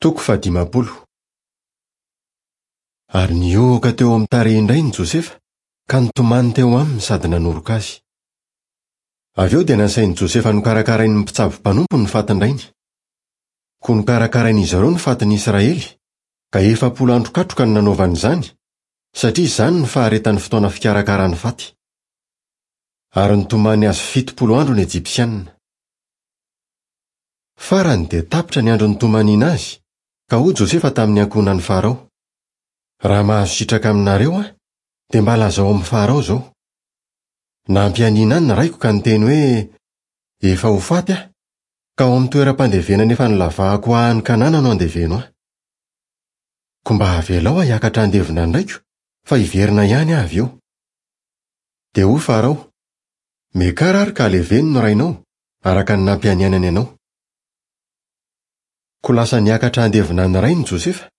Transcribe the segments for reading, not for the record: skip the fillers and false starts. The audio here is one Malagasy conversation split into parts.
Toko fahadimampolo. Ary nihohoka teo amin'ny tarehin-drainy Josefa, ka nitomany teo aminy sady nanoroka azy. Avy eo dia nasain'i Josefa nokarakarain'ny mpitsabo mpanompo ny fatin-drainy. Koa nokarakarain'izy ireo ny fatin'i Israely, ka 40 andro katroka no nanaovany izany, satria izany no faharetan'ny fotoana fikarakarany faty. Ary nitomany azy 70 andro ny Ejipsianina. Farany dia tapitra ny andro nitomaniana azy, ka hoy Josefa tamin'ny ankohonan'i Farao, Raha mahazo sitraka aminareo aho, dia mba lazao amin'i Farao izao, Nampianiana ahy ny raiko ka niteny hoe, 'Efa ho faty aho, ka ao amin'ny toeram-pandevenana efa nolavahako ho ahy any Kanana no andeveno ahy. Koa mba avelao aho hiakatra handevina ny raiko, fa hiverina ihany aho avy eo. Dia hoy Farao, Miakara ary ka aleveno ny rainao, araka ny nampianianany anao. Koa lasa niakatra handevina ny rainy Josefa,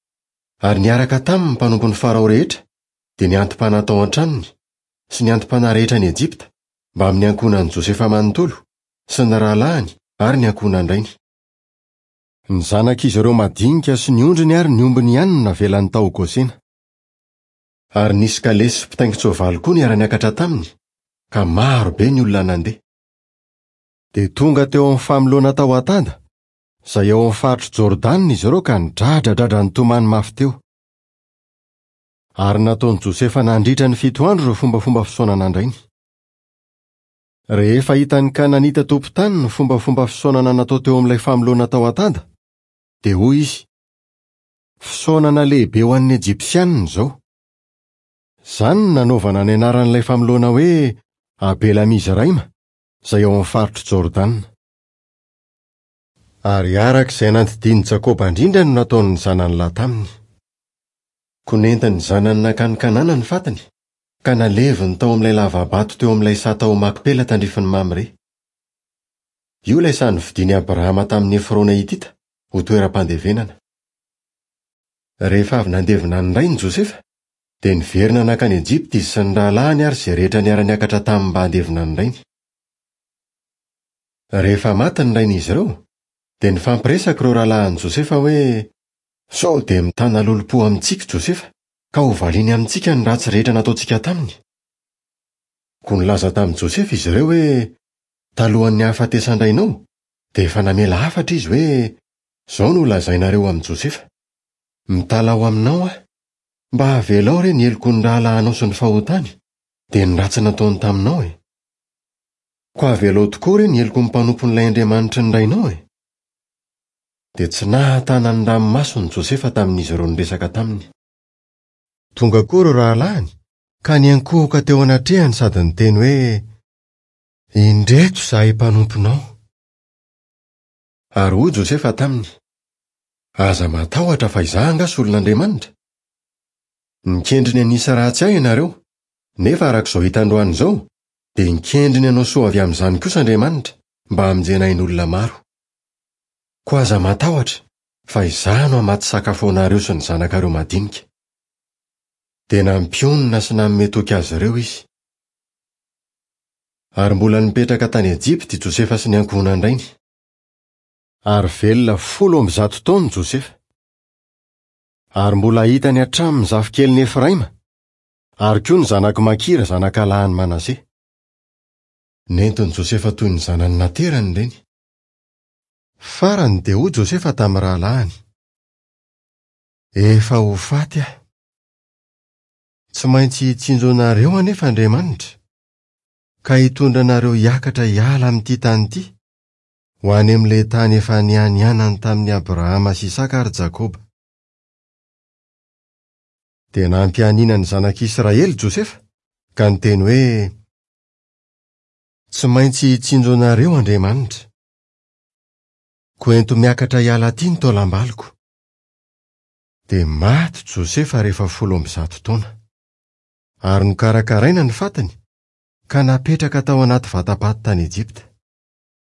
ary niaraka taminy ny mpanompon'i Farao rehetra, dia ny anti-panahy tao an-tranony, sy ny anti-panahy rehetra any Ejipta, mbamin'ny ankohonan'i Josefa manontolo, sy ny rahalahiny ary ny ankohonan-drainy. Ny zanak'izy ireo madinika sy ny ondriny ary ny ombiny ihany no navelany tao Gosena. Ary nisy kalesy sy mpitaingin-tsoavaly koa niara-niakatra taminy, ka maro be ny olona nandeha. Dia tonga teo amin'ny famoloana tao Atada, izay ao amin'ny faritr'i Jordana izy ireo ka nidradradradra nitomany mafy teo. Ary nataon'i Josefa nandritra ny fito andro ireo fombafomba fisaonana an-drainy. Rehefa hitan'ny Kananita tompon-tany ny fombafomba fisaonana natao teo amin'ilay famoloana tao Atada, dia hoy izy, Fisaonana lehibe ho an'ny Ejipsianina izao. Izany no nanaovana ny anaran'ilay famoloana hoe Abela-mizraima, izay ao amin'ny faritr'i Jordana. Ary araka izay nandidian'i Jakoba indrindra no nataon'ny zanany lahy taminy. Koa nentin'ny zanany nankany Kanana ny fatiny, ka naleviny tao amin'ilay lava-bato teo amin'ilay saha tao Makpela tandrifin'i Mamre. Io ilay saha novidian'i Abrahama tamin'i Efrona Hitita ho toeram-pandevenana. Rehefa avy nandevina ny rainy Josefa, dia niverina nankany Ejipta izy sy ny rahalahiny ary izay rehetra niara-niakatra taminy mba handevina ny rainy. Rehefa maty ny rain'izy ireo, dia nifampiresaka ireo rahalahin'i Josefa hoe, Sao dia mitana lolompo amintsika i Josefa, ka hovaliany amintsika ny ratsy rehetra nataontsika taminy? Koa nilaza tamin'i Josefa izy ireo hoe, Talohan'ny hahafatesan-drainao, dia efa namela hafatra izy hoe, 'Izao no holazainareo amin'i Josefa, Mitalaho aminao aho, mba avelao re ny heloky ny rahalahinao sy ny fahotany, dia ny ratsy nataony taminao e! Koa avelao tokoa re ny heloky ny mpanompon'ilay Andriamanitry ny rainao e! Dia tsy nahatana ny ranomasony Josefa tamin'izy ireo niresaka taminy. Tonga koa ireo rahalahiny ka niankohoka teo anatrehany sady niteny hoe, Indreto izahay mpanomponao. Ary hoy Josefa taminy, Aza matahotra fa izaho angaha solon'Andriamanitra? Nikendry ny hanisa ratsy ahy ianareo, nefa araka izao hita androany izao, dia nikendry ny hanao soa avy amin'izany kosa Andriamanitra, mba hamonjena ain'olona maro. Koa aza matahotra, fa izaho no hamatsy sakafo anareo sy ny zanakareo madinika. Dia nampionona sy nanome toky azy ireo izy. Ary mbola nipetraka tany Ejipta i Josefa sy ny ankohonan-drainy. Ary velona 110 taona Josefa. Ary mbola hitany hatramin'ny zafikelin'i Efraima, ary koa ny zanak'i Makira zanakalahin'i Manase. Nentin'i Josefa toy ny zanany naterany ireny. Farany dia hoy Josefa tamin'ny rahalahiny, Efa ho faty aho. Tsy maintsy hitsinjo anareo anefa Andriamanitra, ka hitondra anareo hiakatra hiala amin'ity tany ity, ho any amin'ilay tany efa nianianany tamin'i Abrahama sy Isaka ary Jakoba. Dia nampianiana ny zanak'Israely Josefa, ka niteny hoe, Tsy maintsy hitsinjo anareo Andriamanitra. Koa ento miakatra hiala aty ny taolam-baliko. Dia maty Josefa rehefa 110 taona. Ary nokarakaraina ny fatiny, ka napetraka tao anaty vata-paty tany Ejipta.